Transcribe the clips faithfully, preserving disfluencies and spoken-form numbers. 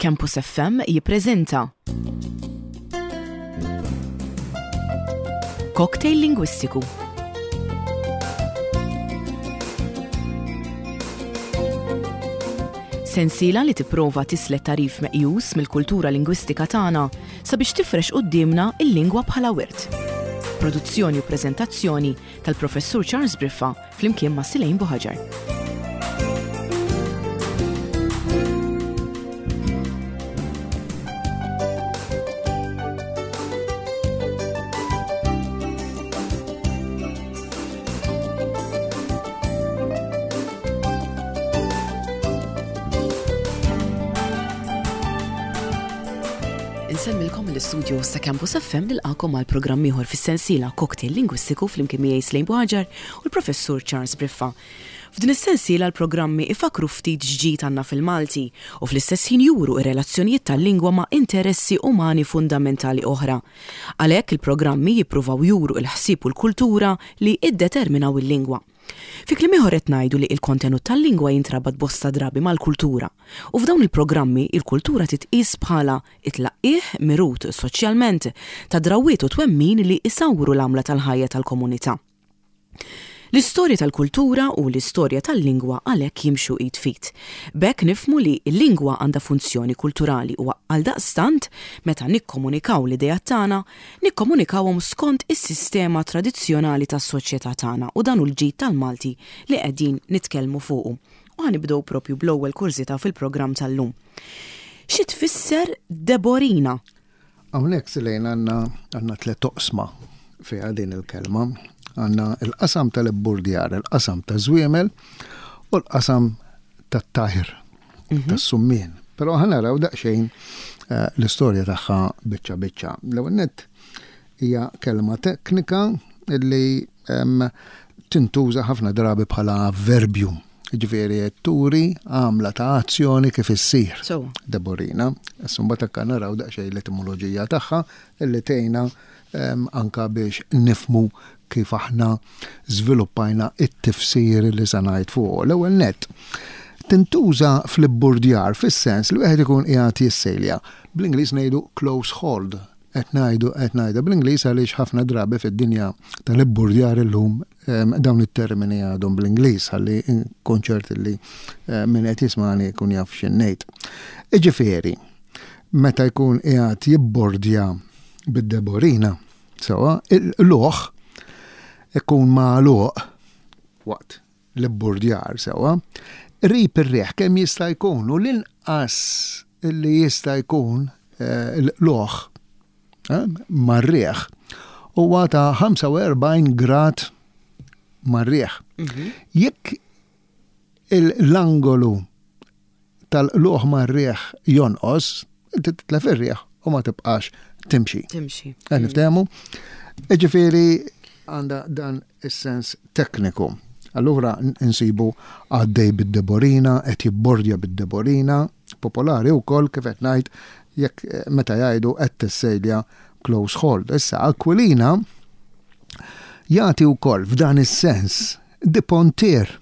Campus F M jippreżenta Cocktail Lingwistiku. Sensiela li tipprova tislet tagħrif meqjus mill-kultura lingwistika tagħna sabiex tifrex quddiemna il-lingwa bħala wirt. Produzzjoni u preżentazzjoni tal-Professur Charles Briffa flimkien ma' Silejn Buħaġar. Insellmilkom mill-istudio ta' Campus F M, nilqagħkom għal programm ieħor fis-sensiela Cocktail Lingwistiku flimkien miegħi Slejn Buħaġar u l-Professur Charles Briffa. F'din is-sensiela l-programmi ifakru ftit x'ġid għandna fil-Malti u fl-istess ħin juru ir-relazzjonijiet tal-lingwa ma' interessi umani fundamentali oħra. Għalhekk il-programmi jippruvaw juru il-ħsieb u l-kultura li iddeterminaw il-lingwa. Fi kliem ieħor qed ngħidu li l-kontenut tal-lingwa jintrabat bosta drabi mal-kultura u f'dawn il-programmi il-kultura titqis bħala it-tlaqqih mirut soċjalment ta' drawiet u twemmin li isawru l-għamla tal-ħajja tal-komunità. L-istorja tal-kultura u l-istorja tal-lingwa għalhekk jimxu id f'id. B'hekk nifhmu li l-lingwa għandha funzjoni kulturali u għaldaqstant meta nikkomunikaw l-idea tagħna, nikkomunikawhom skont is-sistema tradizzjonali tas-soċjetà tagħna u dan hu l-ġid tal-Malti li qegħdin nitkellmu fuqu. U ħa nibdew propju bl-ewwel kurżità fil-programm tal-lum. Xi tfisser Deborina? Hawnhekk, Silejn, għandna għandna tliet oqsma fiha din il-kelma. Għandna il-qasam tal-ibburdjar, il-qasam ta' żwiemel u l-qasam tat-tajr, tas-summien. Però ħa naraw daqsxejn eh, l-istorja tagħha biċċa biċċa. L-ewwel nett hija kelma teknika illi em, tintuża ħafna drabi bħala avverbju. Ġifieri turi għamla ta' azzjoni kif issir. So. Deborina. Issa mbagħad hekk naraw daqsxejn l-etimoloġija tagħha illi tgħinna em, anka biex nifhmu kif aħna żviluppajna it-tifsir li se ngħid fuq. L-ewwel nett tintuża fl-ibburdjar fis-sens li wieħed ikun qiegħed jissejlja. Bl-Ingliż ngħidu close hold. Qed ngħidu qed ngħidha bl-Ingliż għaliex ħafna drabi fid-dinja tal-ibburdjar illum em, dawn it-termini għadhom bl-Ingliż ħalli nkun ċert li eh, min qed jismani jkun jaf x'ngħid. Iġifieri, meta jkun qiegħed jibbordja bid-deborina, sewwa, il-luħ ikun magħluq waqt l-ibburdjar, sewwa, qrib ir-riħ kemm jista' jkun u l-inqas li jista' jkun eh, l-luħ eh, mar-riħ huwa ta' ħamsa u erbgħin grad mar-riħ. Jekk l-angolu tal-luħ mar-riħ jonqos, inti titlef ir-riħ u ma tibqax timxi. Timxi. Qed niftehmu? Ġifieri għandha dan is-sens tekniku. Allura nsibu għaddej bid-deborina, qed jibbordja bid-deborina, popolari wkoll kif qed ngħid jekk eh, meta jgħidu qed tissejlja close hold. Issa Aquilina jagħti wkoll f'dan is-sens dipontier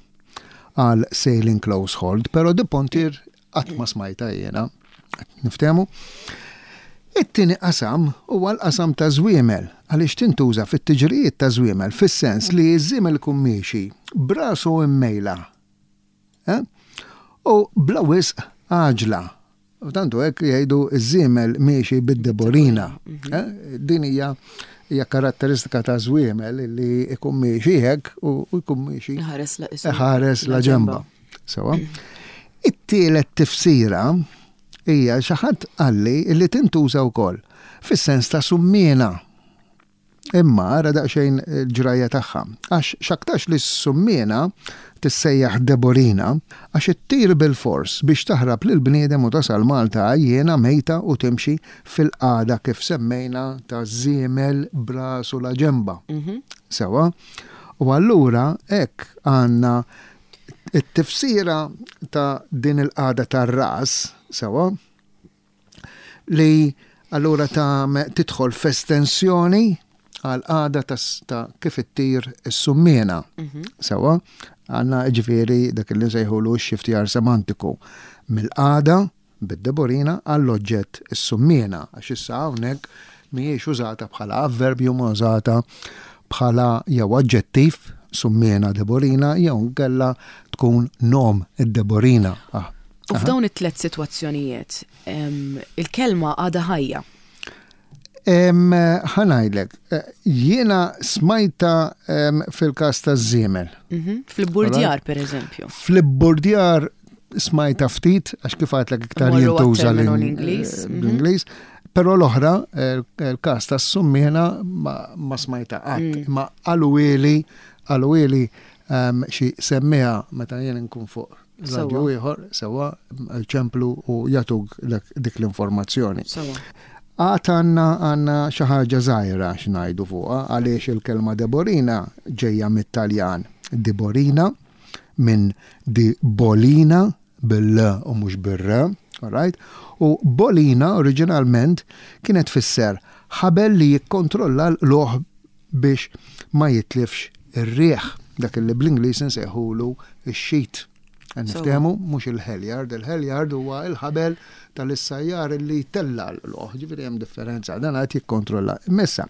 għal sailing close hold, però dipontier qatt ma smajta jiena. Niftehmu? It-tieni qasam huwa l-qasam ta' żwiemel, għaliex tintuża fit-tiġrijiet ta' żwiemel fis-sens li ż-żiemel ikun miexi brasu immejla. Eh? U bla wisq għaġla. U tantu hekk jgħidu ż-żiemel miexi bid-deborina. Eh? Din hija hija karatteristika ta' żwiemel li ikun miexi hekk u u jkun miexi Ħares la isu. Ħares la ġemba. Sewwa. It-tielet tifsira hija xi ħadd qalli li tintuża wkoll fis-sens ta' summiena. Imma ara daqsxejn il-ġrajja tagħha. Għax x'aktarx li s-summiena tissejjaħ Deborina għax ittir bil-fors biex taħrab lil bniedem u tasal Malta għajjiena, mejta, u timxi fil-qagħda kif semmejna ta' żiemel brasu la ġemba. Sewwa. U allura hekk għandna it-tifsira ta' din il-qagħda tar-ras, sewwa, li allura ta' tidħol f'estensjoni għal qagħda ta', ta' kif ittir is-summiena. Sewwa, għandna ġifieri dak li nsejħulu x-shiftjar semantiku mill-qagħda, Bid-deborina għall-oġġett is-summiena, għax issa hawnhekk mhijiex użata bħala avverbju, ma użata bħala jew aġġettiv summiena deborina jew nkella tkun nom id-deborina. Ah. U f'dawn it-tlet sitwazzjonijiet, il-kelma għadha ħajja. Ħa ngħidlek, eh, jiena smajta fil-kas ta' żiemel. Mhm. Fl-ibburdjar, per eżempju. Fl-ibburdjar smajta ftit, għax kif għedtlek iktar jintuża l-Ingliż. Mhm. L-Ingliż. Però l-oħra, il-kas ta' summiena ma smajta qatt. Mm. Ma qaluli, qaluli xi semmiegħa meta jien nkun fuq radio ieħor, sewa, ċemplu u jagħtuk dik l-informazzjoni. Għad għandna għandna xi ħaġa żgħira x'ngħidu fuqha għaliex il-kelma deborina ġejja mit-Taljan diborina minn di bolina bil-l u mhux bir-r, alright? U bolina oriġinalment kienet tfisser ħabel li jikkontrolla l-qlugħ biex ma jitlifx ir-riħ, dak li bl-Ingliż nsejħulu ix-sheet. Niftehmu mhux il-halyard, il-halyard huwa il-ħabel tal-issajjar li tella l-qlugħ, ġifieri hemm differenza, dan qed jikkontrolla. Messa,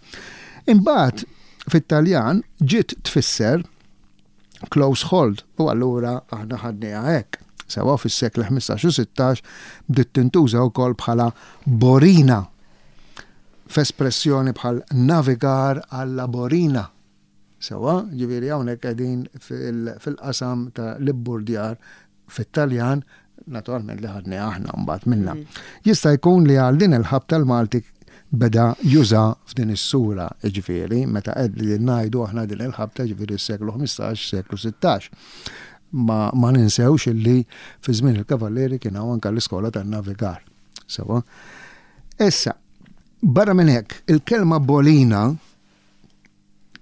imbagħad fit-Taljan ġiet tfisser close hold u allura aħna ħadniha hekk. Sewa fis-seklu ħmistax u sittax bdiet tintuża wkoll bħala borina f'espressjoni bħal navigar alla borina. Sewa, ġifieri hawnhekk qegħdin fil-qasam ta' l-ibburdjar fit-Taljan, naturalment li ħadni aħna mbagħad minna. Mm. Jista' jkun li għal din il-ħabta l-Malti beda juża f'din is-sura, ġifieri, meta qed li ngħidu aħna din il-ħabta ġifieri s-seklu ħmistax, seklu sittax. Ma, ma ninsewx illi fi żmien il-Kavallieri kien hawn anke l-iskola tan-navigar. Sewa. Issa, barra minn hekk, il-kelma bolina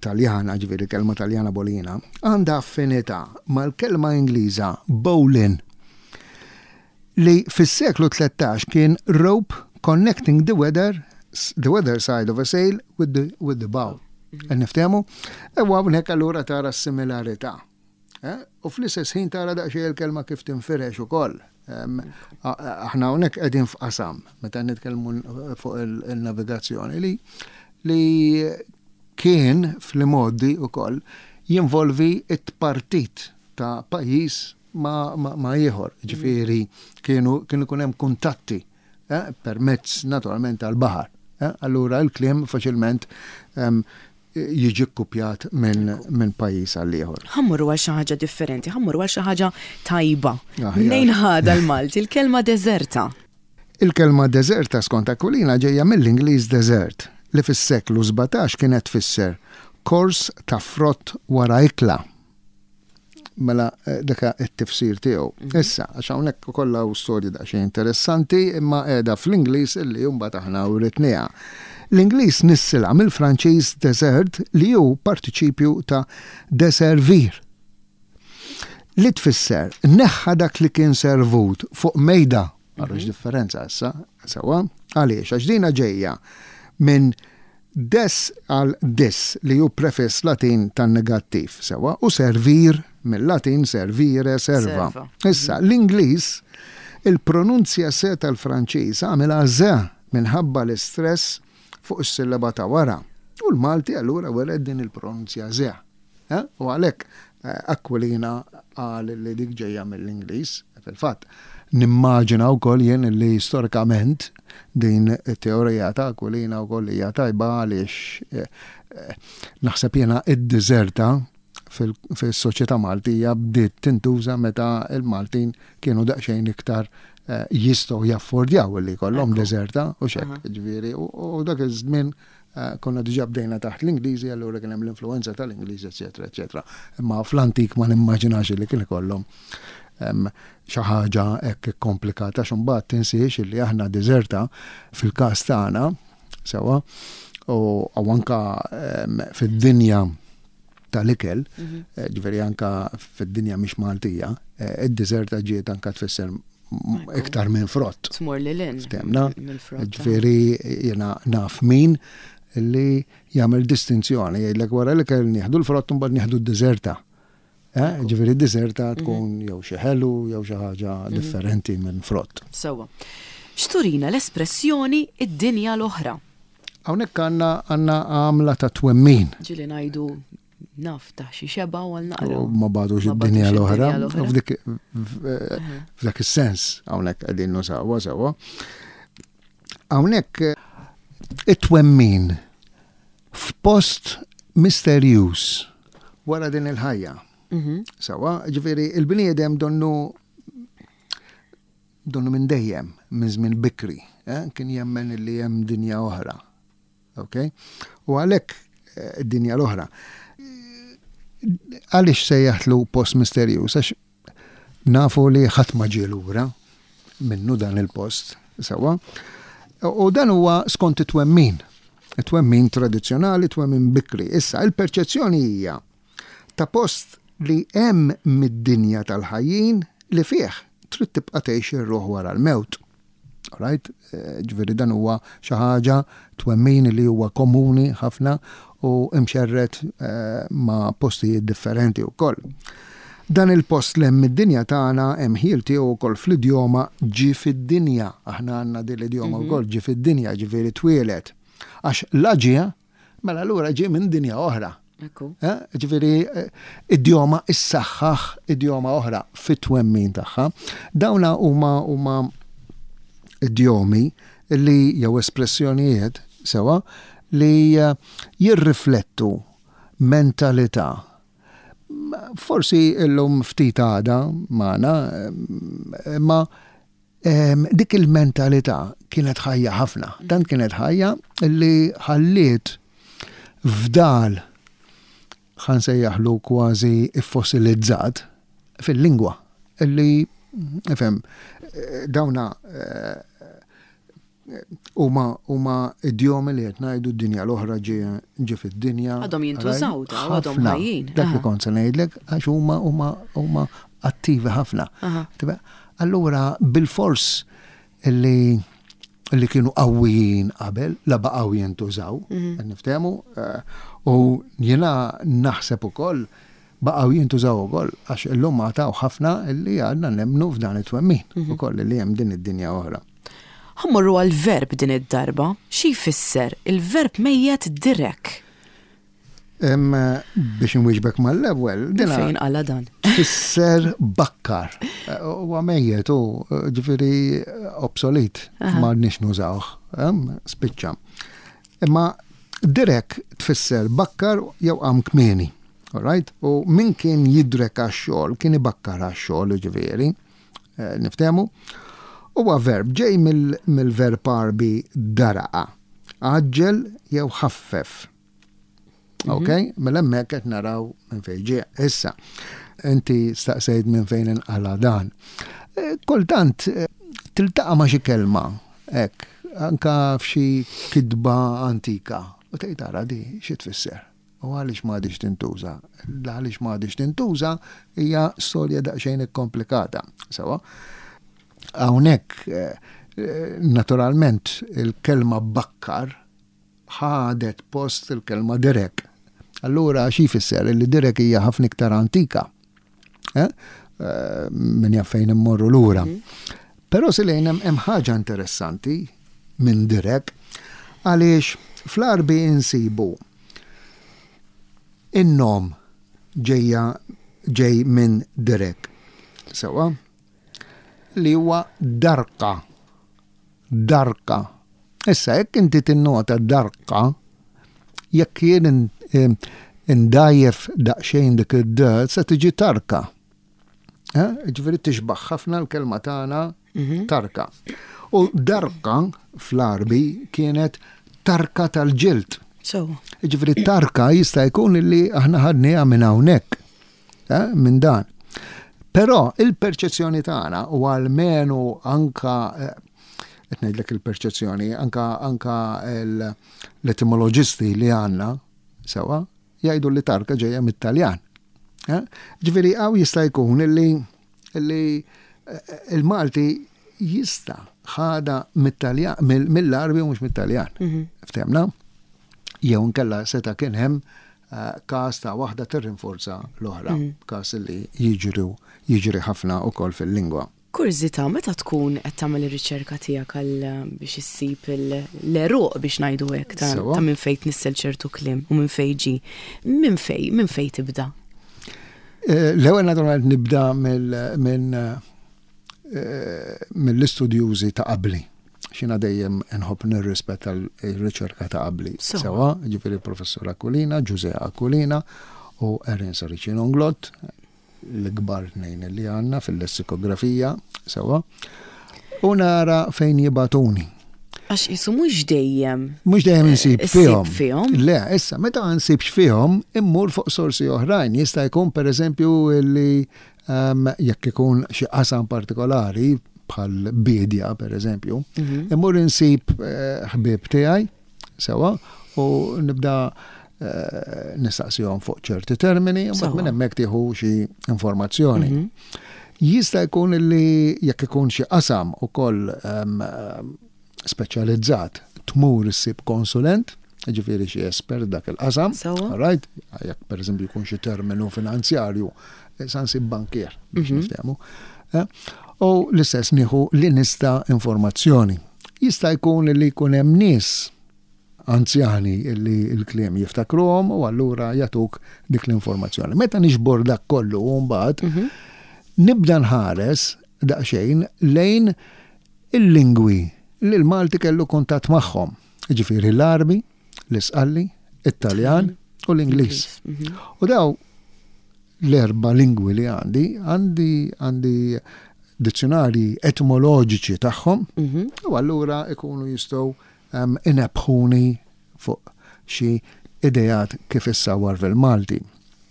Taljana, ġifieri kelma Taljana bolina, għandha affinità mal-kelma Ingliża bowline li fis-seklu tlettax kien rope connecting the weather, the weather side of a sail with the, with the bow. Mhm. Niftehmu? Ewa hawnhekk allura tara s-similarità. Eh? U fl-istess ħin tara daqsxejn il-kelma kif tinfirex ukoll. Aħna hawnhekk qegħdin f'qasam meta nitkellmu fuq il-navigazzjoni li li kien fl-modi ukoll jinvolvi it-partit ta' pajjiż ma, ma, ma ieħor. Ġifieri kienu kienu ikun hemm kuntatti eh, permezz naturalment tal-baħar. Eh? Allura il-kliem faċilment jiġi kkupjat minn min pajjiż għal ieħor. Ħa mmorru għal xi ħaġa differenti, ħa mmorru għal xi ħaġa tajba. Mnejn ħada l-Malti il-kelma deżerta? Il-kelma deżerta skont Aquilina ġejja mill-Ingliż desert li fis-seklu sbatax kienet tfisser kors ta' frott wara ikla. Mela eh, daka it-tifsir tiegħu. Mhm. Issa, għax hawnhekk ukoll hawn storji daqsxejn interessanti imma qiegħda fl-Ingliż illi mbagħad aħna writniha. L-Ingliż nissilha mill-Franċiż desert li hu partiċipju ta' deservir. Li tfisser neħħa dak li kien servut fuq mejda. Għarux mhm. differenza issa, sewa, għaliex, għax dina ġejja minn des għal dis li hu prefiss Latin tan-negattiv, sewa, u servir mill-Latin servire, serva. Issa, l-Ingliż, il-pronunzja se tal-Franċiż għamilha ze minħabba l-istress fuq is-sillaba ta' wara. U l-Malti allura wered din il-pronunzja ze. Eh? U għalhekk eh, Aquilina qal li dik ġejja mill-Ingliż, fil-fatt. Nimmaġina wkoll jien li storikament din it-teorija ta' Aquilina wkoll hija tajba għaliex eh, eh, naħseb jiena id-deżerta fil-soċjetà Maltija bdiet tintuża meta il-Maltin kienu daqsxejn iktar eh, jistgħu jaffordjaw li jkollhom deżerta u xek, ġifieri, u dak iż-żmien konna diġà bdejna taħt l-Ingliżi, allura kien hemm l-influenza tal-Ingliżi, eċetera, eċetera. Imma fl-antik ma nimmaġinax li kien ikollhom xi ħaġa hekk komplikata x'imbagħad tinsiex li aħna deżerta fil-każ tagħna sewwa u anka fid-dinja tal-ikel, mhm. eh, ġifieri anka fid-dinja mhix Maltija, eh, id-deżerta ġiet anka tfisser iktar minn frott. Tmur lil hinn. Ftemna? Ġifieri jiena naf min li jagħmel distinzjoni jgħidlek wara l-ikel nieħdu l-frott u mbagħad nieħdu d-deżerta. Eh, ġifieri deserta tkun jew xi ħelu jew xi ħaġa differenti minn frott. Sewwa. X'turina l-espressjoni id-dinja l-oħra? Hawnhekk għandna għandna għamla ta' twemmin. Ġieli ngħidu naf ta' xi xeba u għal naqra. U ma bagħtux Ma id-dinja bagħtux l-oħra. id-dinja l-oħra. F'dik f'dak is-sens hawnhekk qegħdin nużawha sewwa. Hawnhekk it-twemmin f'post misterjuż wara din il-ħajja. Mhm. Sewwa, ġifieri il-bniedem donnu donnu minn dejjem, minn żmien bikri, eh, kien jemmen li hemm dinja oħra. Ok? U għalhekk eh, id-dinja l-oħra. Għaliex sejjaħtlu post misterjuż? Għax nafu li ħadd ma ġie lura minnu dan il-post, sewwa. U dan huwa skont it-twemmin. It-twemmin tradizzjonali, twemmin bikri. Issa, il-perċezzjoni hija ta' post li hemm mid-dinja tal-ħajjin li fih trid tibqa' tgħix ir-ruħ wara l-mewt. Alright? Eh, Ġifieri dan huwa xi ħaġa twemmin li huwa komuni ħafna u imxerret eh, ma' postijiet differenti wkoll. Dan il-post li hemm id-dinja tagħna hemm ħjiel tiegħu wkoll fl-idjoma ġie fid-dinja. Aħna għandna din l-idjoma wkoll ġie fid-dinja, ġifieri twieled. Għax la ġie, mela allura ġie minn dinja oħra. Ekku. Eh, Ġifieri, eh, idjoma issaħħaħ idjoma oħra fit-twemmin tagħha. Dawna huma huma idjomi li jew espressjonijiet sewwa li eh, jirriflettu mentalità. Forsi illum ftit għada magħna, eh, imma em, dik il-mentalità kienet ħajja ħafna. Dan kienet ħajja li ħalliet fdal ħa nsejjaħlu kważi fossilizzat fil-lingwa illi ifhem eh, dawna eh, huma huma idjomi li qed ngħidu d-dinja l-oħra ġie ġie fid-dinja. Għadhom jintużaw daw, għadhom Ħafna. ħajjin. Dak li Aha. kont se ngħidlek għax huma huma huma attivi ħafna. Aha. Tiba, Allura bil-fors li li kienu qawwijin qabel, la baqgħu jintużaw, mm niftehmu, eh, u jiena naħseb ukoll baqgħu jintużaw ukoll għax illum għataw ħafna li għadna nemmnu f'dan it-twemmin ukoll li hemm din id-dinja oħra. Ħa mmorru għal-verb din id-darba, xi jfisser il-verb mejjet direk? Em, biex nwieġbek mal-ewwel, dina Fejn għala dan? tfisser bakkar. Huwa mejjet u ġifieri obsolet, ma għadniex nużawh, em, spiċċa. Imma direk tfisser bakkar jew qam kmieni. Alright? U min kien jidrek għax-xogħol, kien ibakkar għax-xogħol ġifieri, eh, niftehmu. Huwa verb ġej mill- mill-verb Għarbi daraqa. Għaġġel jew ħaffef. Ok? Mela hemmhekk qed naraw minn fejn ġie. Issa, inti staqsejt minn fejn inqala dan. Eh, Kultant eh, tiltaqa' ma' xi kelma, hekk, anka f'xi kitba antika. U tgħid tara di xi tfisser. U għaliex m'għadix tintuża? Għaliex m'għadix tintuża hija storja daqsxejn ikkomplikata. Sewwa? Hawnhekk eh, eh, naturalment il-kelma bakkar ħadet post il-kelma direk. Allura xi jfisser li direk hija ħafna iktar antika. Eh? Eh, Min jaf fejn immorru lura. Però silejn hemm hemm ħaġa interessanti minn direk għaliex fl-Għarbi insibu in-nom ġejja ġej minn direk. Sewwa? Li huwa darka. Darka. Issa, jekk inti tinnota darka, jekk jien in- em, indajjef daqsxejn dik id-d, se tiġi tarka. Eh? Ġifieri tixbaħ ħafna l-kelma tagħna tarka. U darka fl-Għarbi kienet tarka tal-ġild. So, Ġifieri tarka jista' jkun li aħna ħadniha minn hawnhekk, eh, minn dan. Però il-perċezzjoni tagħna u almenu anka eh, qed ngħidlek il-perċezzjoni, anka anka l- l-etimoloġisti li għandna sewwa jgħidu li tarka ġejja mit-Taljan. Eh? Ġifieri hawn jista' jkun illi illi eh, il-Malti jista' ħada mit-Taljan mill-Għarbi u mhux mit-Taljan. Ftehmna? Jew nkella seta' kien hemm eh, każ ta' waħda tirrinforza l-oħra, każ li jiġru jiġri ħafna ukoll fil-lingwa. Kurżità, meta tkun qed tagħmel ir-riċerka tiegħek għal biex issib l-għeruq, biex ngħidu hekk, ta' Sewa. ta' minn fejn tnissel ċertu kliem u minn fejn ġi. Minn fejn, minn fejn tibda? Eh, L-ewwel naturalment nibda mill- minn eh, mill-istudjużi ta' qabli. Jiena dejjem nħobb nirrispetta l-riċerka ta' qabli. Sewa. Sewa, ġifieri professur Aquilina, Ġuże Aquilina u Erin Saracino Inglott, l-kbar tnejn li għandna fil-lessikografija, sewa. U nara fejn jibagħtuni. Għax jisu mhux dejjem. Mhux dejjem insib Issib fihom. fihom. Le, issa, meta ma nsibx fihom, immur fuq sorsi oħrajn. Jista' jkun per eżempju li um, jekk ikun xi qasam partikolari, bħal bidja per eżempju, Mhm. immur insib eh, ħbieb tiegħi, sewa, u nibda eh, nistaqsihom fuq ċerti termini, u mbagħad Sewa. minn hemmhekk tieħu xi informazzjoni. Mhm. Jista' jkun li jekk ikun xi qasam ukoll um, um, speċjalizzat, tmur issib konsulent, ġifieri xi espert dak il-qasam, Sewa. right? Jekk per eżempju jkun xi terminu finanzjarju, eh, sa nsib bankier biex Mhm. niftehmu. Eh, U l-istess nieħu li nista' informazzjoni. Jista' jkun li jkun hemm nies anzjani li l-kliem jiftakruhom u allura jagħtuk dik l-informazzjoni. Meta niġbor dak kollu u mbagħad Mhm. nibda nħares daqsxejn lejn il-lingwi li l-Malti kellu kuntatt magħhom. Ġifieri l-Arbi, l-Isqalli, it-Taljan u l-Ingliż. Mhm. U daw l-erba lingwi li għandi, għandi għandi dizzjonari etimoloġiċi tagħhom Mhm. u allura ikunu jistgħu um, inebbħuni fuq xi idejat kif issawar fil-Malti.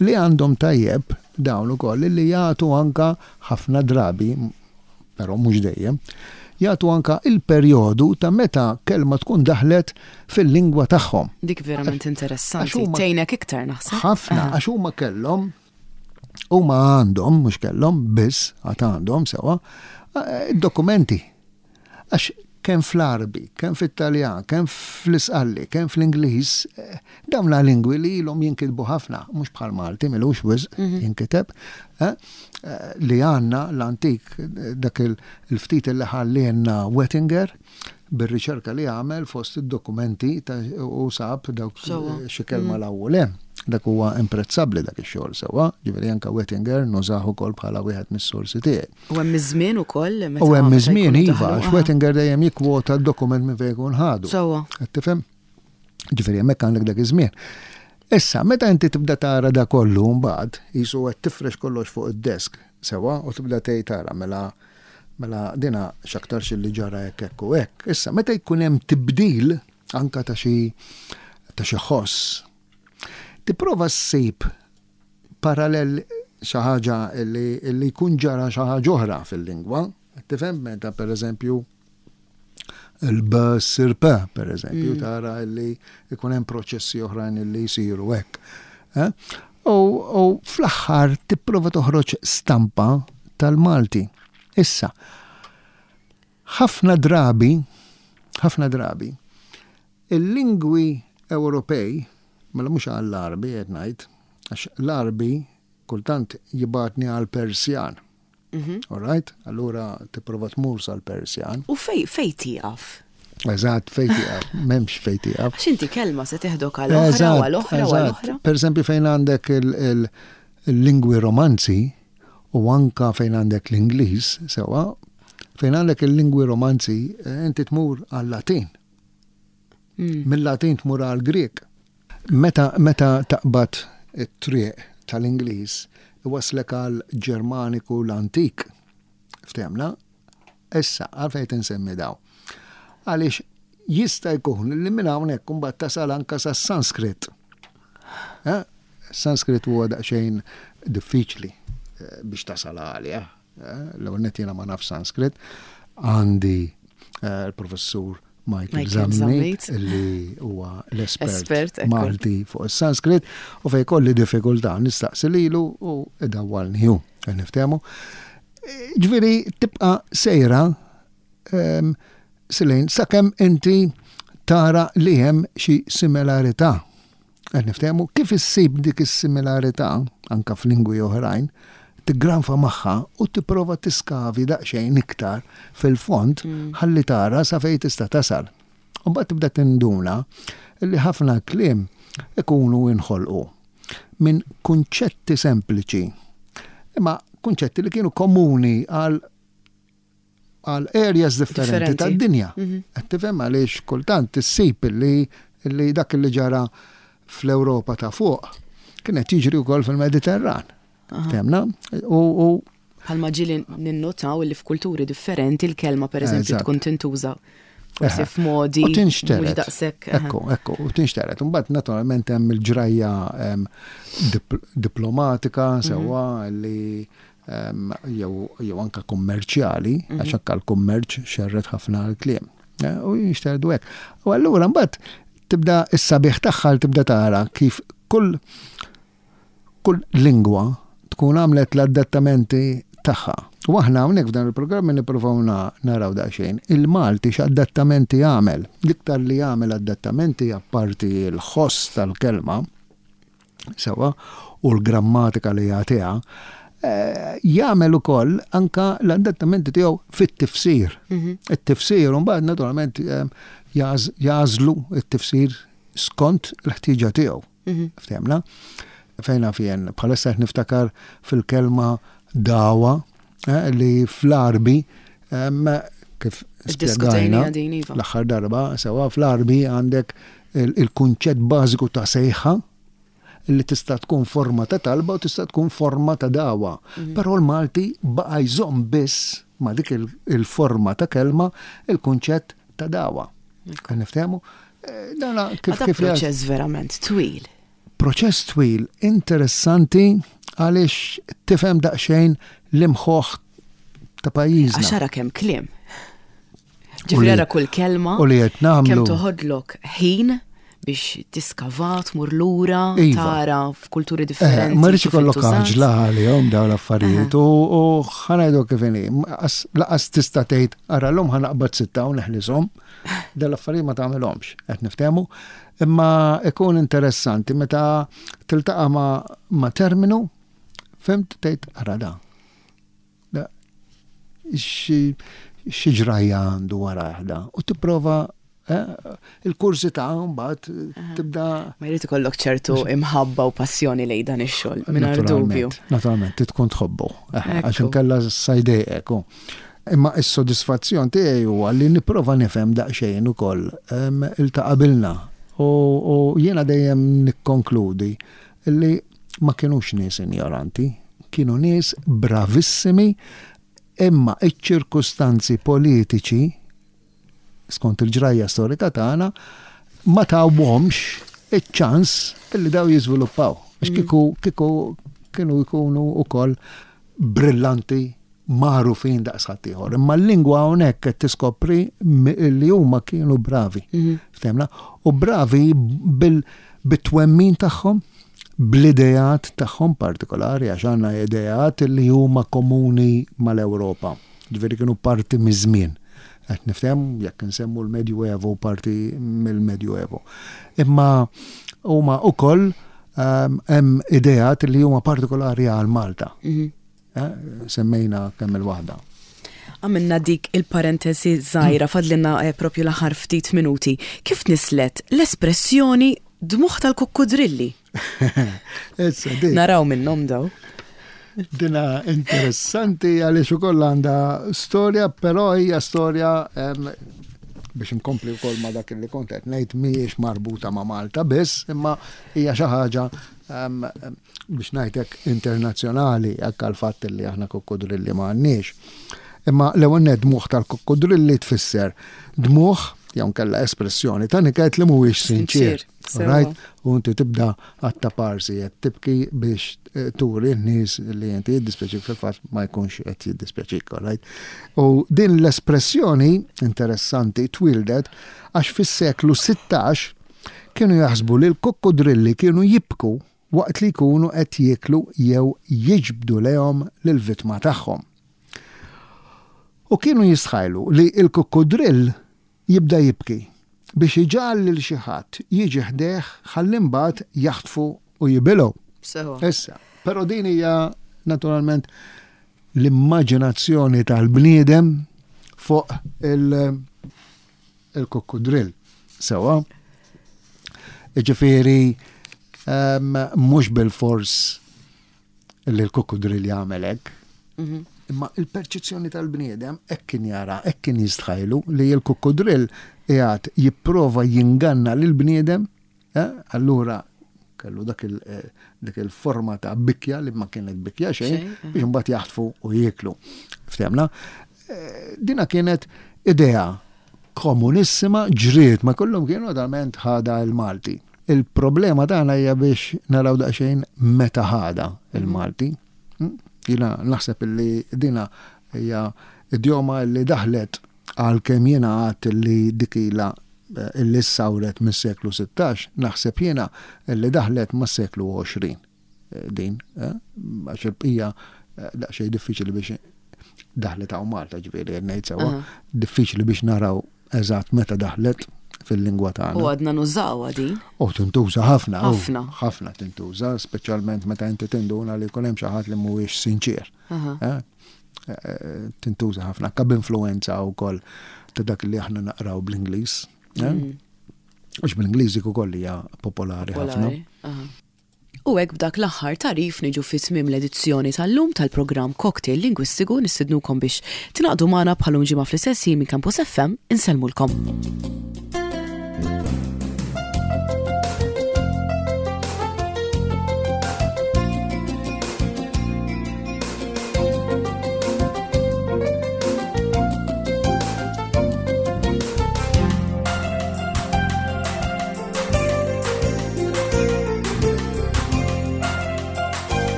Li għandhom tajjeb dawn ukoll li jagħtu anka ħafna drabi, però mhux dejjem, jagħtu anka il-perjodu ta' meta kelma tkun daħlet fil-lingwa tagħhom. Dik verament interessanti. għax huma- Tgħinek iktar naħseb. Ħafna, Aha. għax huma kellhom, huma għandhom, mhux kellhom, biss għad għandhom sewa, eh, dokumenti. Għax kemm fl-Arbi, kemm fit-Taljan, kemm fl-Isqalli, kemm fl-Ingliż, eh, dawn la lingwi li ilhom jinkitbu ħafna, mhux bħal Malti, m'ilux wisq jinkiteb, eh, eh, li għandna l-antik, eh, dak il- il-ftit li ħallielna Wettinger, bir-riċerka li għamel fost id-dokumenti ta' u sab dawk Sewa. eh, xi kelma l-ewwel hemm. Dak huwa imprezzabbli dak ix-xogħol sewwa, ġifieri anke Wettinger nużah ukoll bħala wieħed mis-sorsi tiegħi. U hemm iż-żmien ukoll meta U hemm meta iż-żmien jkunu iva, daħlu, għax aha. Wettinger dejjem jikkwota d-dokument minn fejn jkun ħadu. Sewwa. Qed tifhem? Ġifieri hemmhekk għandek dak iż-żmien. Issa, meta inti tibda tara da kollu mbagħad, jisu qed tifrex kollox fuq id-desk, sewa, u tibda tgħid tara mela mela dina x'aktarx li ġara hekk hekk u hekk. Issa, meta jkun hemm tibdil anka ta' xi ta' xi ħoss, tipprova ssib parallel xi ħaġa li li jkun ġara xi ħaġa oħra fil-lingwa. Tifhem meta pereżempju il-b ssir p, per eżempju, tara li ikun hemm proċessi oħrajn li jsiru hekk. Eh? U, u fl-aħħar tipprova toħroġ stampa tal-Malti. Issa, ħafna drabi, ħafna drabi, il-lingwi Ewropej, mela mhux għall-Arbi qed ngħid, għax l-Arbi kultant jibgħatni għal-Persjan. Mhm. All right? Allura tipprova tmur sal-Persjan. U fej fej tieqaf? Eżatt, fej tieqaf, m'hemmx fej tieqaf. Għax inti kelma se teħdok għal oħra u Eżatt, għal oħra u għal eżatt. oħra. Per eżempju fejn għandek il- il- il-lingwi romanzi u anka fejn għandek l-Ingliż, sewa, fejn għandek il-lingwi romanzi, eh, inti tmur għal-Latin. Mm. Mill-Latin tmur għal-Grek. Meta, meta taqbad it-triq tal-Ingliż, iwaslek għal Ġermaniku l-antik. Ftehmna? Issa, għalfejn tinsemmi daw. Għaliex jista' jkun li minn hawnhekk imbagħad tasal anka sas-Sanskrit. Eh? Sanskrit huwa daqsxejn diffiċli eh, biex tasal għalih. Eh? L-ewwel nett jiena ma naf Sanskrit. Għandi eh, l-professur Michael Michael Zammit, Zammit. li huwa l-espert Espert, ekku. Malti fuq is-Sanskrit u fej kolli diffikultà nistaqsi lilu u idawwalni hu. Niftehmu. Ġifieri tibqa' sejra em, silejn sakemm inti tara li hemm xi similarità. Qed niftehmu kif issib dik is-similarità anka f'lingwi oħrajn, tiggranfa magħha u tipprova tiskavi daqsxejn iktar fil-fond mm. ħalli tara sa fejn tista' tasal. U mbagħad tibda tinduna li ħafna kliem ikunu inħolqu minn kunċetti sempliċi. Imma kunċetti li kienu komuni għal għal areas differenti tad-dinja. Mhm. Qed tifhem għaliex kultant issib li li dak li ġara fl-Ewropa ta' fuq kienet jiġri wkoll fil-Mediterran. Temna? U Bħalma ġieli ninnotaw li f'kulturi differenti l-kelma, per eżempju, tkun tintuża forsi f'modi. U tinxteret. Daqshekk. Ekku, ekku, u tinxteret. Mbagħad naturalment hemm il-ġrajja diplomatika mhm. sewwa li jew anka kummerċjali, mhm. għax anka l-kummerċ xerret ħafna l-kliem. Eh, u jinxterdu hekk. U allura mbagħad tibda is-sabiħ tagħha tibda tara kif kull kull lingwa tkun għamlet l-adattamenti tagħha. U aħna hawnhekk f'dan il-programm nippruvaw naraw daqsxejn il-Malti x'adattamenti għamel. L-iktar li għamel adattamenti, apparti l-ħoss tal-kelma, sewwa, u l-grammatika li jagħtiha, eh, jagħmel ukoll anka l-adattamenti tiegħu fit-tifsir. Mhm. It-tifsir mbagħad naturalment eh, jagħżlu it-tifsir skont il-ħtieġa tiegħu. Mhm. Ftehmna? Fejna fien, bħalissa niftakar fil-kelma dawa eh, li fl-Arbi, kif spjegajna iva. l-aħħar darba, sewwa, fl-Arbi għandek il-kunċett bażiku ta' sejħa li tista' tkun forma ta' talba u tista' tkun forma ta' dawa. Mhm. Però l-Malti baqa' jżomm biss ma' dik il-forma ta' kelma il-kunċett ta' dawa. Niftehmu? Eh, dana kif kif proċess verament twil. Proċess twil, interessanti, għaliex tifhem daqsxejn l-imħuħ ta' pajjiżna. Għax ara kemm kliem. Ġifieri ara kull kelma. U li qed nagħmlu. Kemm toħodlok ħin biex tiskava, tmur lura, iva. tara f'kulturi eh, differenti. Ma rridx ikollok għaġla għalihom dawn l-affarijiet u ħa ngħidu kif inhi, laqas tista' tgħid ara llum ħa naqbad sitta u neħlishom. Dawn l-affarijiet ma tagħmilhomx, qed niftehmu. Imma ikun interessanti meta tiltaqa' ma' terminu, fhimt, tgħid ara da. Xi ġrajja għandu wara da u tipprova eh, il-kurżità mbagħad tibda. Ma jrid ikollok ċertu imħabba u passjoni lejn dan ix-xogħol mingħajr dubju. Naturalment, tkun tħobbu, eh, għax inkella sa jdejqek. Imma is-sodisfazzjon tiegħi huwa li nipprova nifhem daqsxejn ukoll il ta' qabilna. U jiena dejjem nikkonkludi li ma kienux nies injoranti, kienu nies bravissimi, imma iċ-ċirkustanzi politiċi skont il-ġrajja storika tagħna ma tawhomx iċ-ċans illi daw jiżviluppaw. Għax mm. kieku kieku kienu jkunu ukoll brillanti, magħrufin daqs ħaddieħor. Imma l-lingwa hawnhekk qed tiskopri li huma kienu bravi. Mhm. Ftehmna? U bravi bil-twemmin tagħhom, bl-idejat tagħhom partikolari, għax għandna idejat li huma komuni mal-Ewropa. Ġifieri kienu parti miż-żmien. Qed nifhem, jekk insemmu l-Medjuevo, parti mill-Medjuevo. Imma huma ukoll ehm, hemm idejat li huma partikolari għal Malta. Mhm. Eh, semmejna kemm il-waħda. Għamilna dik il-parentesi żgħira, fadlilna eh, propju l-aħħar ftit minuti. Kif nislet l-espressjoni dmugħ tal-kukkudrilli? Naraw minnhom daw. Dina interessanti għaliex ukoll għandha storja, però hija storja, biex inkompli wkoll ma' dak li kont qed ngħid, mhijiex marbuta ma' Malta biss, imma hija xi ħaġa, biex ngħidlek, internazzjonali, hekk għal fatt li aħna kukkudrilli ma għandniex. Imma l-ewwel nett, dmugħ tal-kukkudrilli tfisser dmugħ jew kella espressjoni ta' niket li mhuwiex sinċir. Right? U inti tibda għatta parsi qed tibki biex eh, turi n-nies li inti jiddispjaċik, fil-fatt ma jkunx qed jiddispjaċik, right? U din l-espressjoni interessanti twildet għax fis-seklu sittax kienu jaħsbu li l-kukkudrilli kienu jibku waqt li jkunu qed jieklu jew jiġbdu lejhom lill-vittma tagħhom. U kienu jistħajlu li l-kukkudrill jibda jibki. Biex iġagħal lil xi ħadd jiġi ħdejh ħalli mbagħad jaħtfu u jibilgħu. Sewa. Issa, però din hija naturalment l-immaġinazzjoni tal-bniedem fuq il- il-kukkudrill. Sewa. Ġifieri, um, mhux bil-fors li l-kukkudrill jagħmel hekk. Mhm. Imma il-perċezzjoni tal-bniedem hekk kien jara, hekk kien jistħajlu li l-kukkudrill qiegħed jipprova jinganna lil bniedem, eh? Allura kellu dak il, eh, dik il-forma ta' bikja li ma kienet bikja xejn, Xejn, eh. biex imbagħad jaħtfu u jieklu. Ftehmna? Eh, Dina kienet idea komunissima ġriet ma kollhom kienu naturalment ħada il-Malti. Il-problema tagħna hija biex naraw daqsxejn meta ħada il-Malti. Mm? Jiena naħseb illi dina hija idjoma li daħlet, għalkemm jiena għedt li dik ilha eh, illi sawret mis-seklu sittax, naħseb jiena illi daħlet mas-seklu għoxrin eh, din, eh, għax il-bqija eh, daqsxejn diffiċli biex daħlet hawn Malta, ġifieri ngħid sewwa, Aha. diffiċli biex naraw eżatt meta daħlet fil-lingwa tagħna. U għadna nużawha din. U tintuża ħafna. u Ħafna. Ħafna tintuża, speċjalment meta inti tinduna li jkun hemm xi ħadd li mhuwiex sinċir. Aha. Eh? Eh, Tintuża ħafna, kab influenza wkoll ta' dak li aħna naqraw bl-Ingliż. eh? Mm. Għax bl-Ingliż dik ukoll hija popolari ħafna. Popolari. Aha. U hekk b'dak l-aħħar tagħrif niġu fi tmiem l-edizzjoni tal-lum tal-programm Cocktail Lingwistiku. Nistednukom biex tingħaqdu magħna bħal ġimgħa fl-istess ħin minn Campus F M. Insellmulkom.